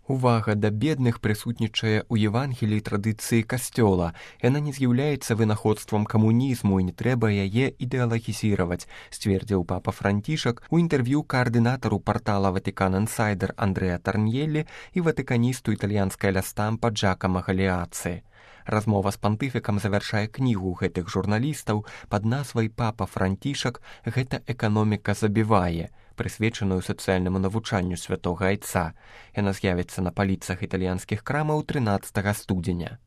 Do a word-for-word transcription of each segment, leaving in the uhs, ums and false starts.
Увага да бедных прысутнічае ў Евангеліі традыцыі касцёла. Яна не з'яўляецца вынаходствам камунізму і не трэба яе ідэалагізіраваць, сцвердзіў папа Францішак у інтэрв'ю каардынатару партала Ватыкан Інсайдер Андрэа Тарньеллі і ватыканісту італьянскай ля Стампа Джакама Галіаци. Размова з пантыфікам завяршае кнігу гэтых журналістаў пад назвай «Папа Францішак. Гэта эканоміка забівае», прысвечаную сацыяльнаму навучанню святога айца. Яна з'явіцца на паліцах італьянскіх крамаў трынаццатага студзеня.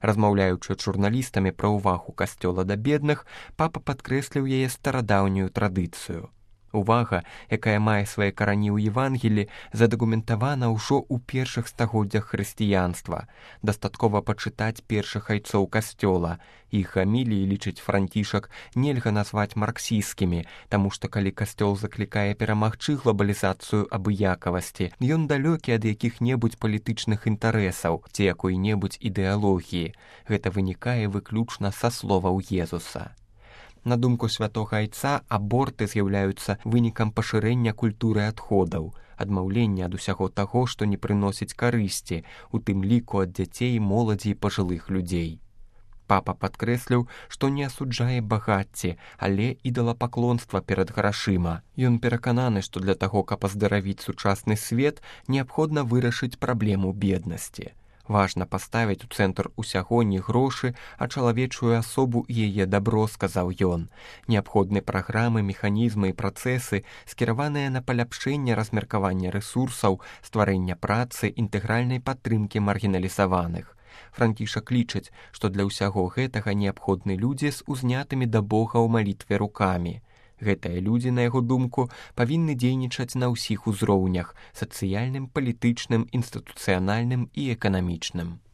Размаўляючы з журналістамі пра ўвагу касцёла да бедных, папа падкрэсліў яе старадаўнюю традыцыю. Увага, якая мае свае карані ў Евангелі, задакументавана ўжо ў першых стагоддзях хрысціянства. Дастаткова пачытаць першых айцоў касцёла. Іх гаміліі, лічыць Францішак, нельга назваць марксісцкімі, таму што калі касцёл заклікае перамагчы глобалізацыю абыякавасці, ён далёкі ад якіх-небудзь палітычных інтарэсаў ці якой-небудзь ідэалогіі. Гэта вынікае выключна са словаў Езуса. На думку святога айца, аборты з'яўляюцца вынікам пашырэння культуры адходаў, адмаўлення ад усяго таго, што не прыносіць карысці, у тым ліку ад дзяцей, моладзі і пажылых людзей. Папа падкрэсліў, што не асуджае багацці, але ідалапаклонства перад грашыма. Ён перакананы, што для таго, каб аздаравіць сучасны свет, неабходна вырашыць праблему беднасці. Важна паставіць у цэнтр усяго не грошы, а чалавечую асобу і яе дабро, сказаў ён. Неабходны праграмы, механізмы і працэсы, скіраваныя на паляпшэнне размеркавання рэсурсаў, стварэння працы, інтэгральнай падтрымкі маргіналізаваных. Францішак лічыць, што для ўсяго гэтага неабходны людзі з узнятымі да Бога ў малітве рукамі. Гэтыя людзі, на яго думку, павінны дзейнічаць на ўсіх узроўнях – сацыяльным, палітычным, інстытуцыянальным і эканамічным.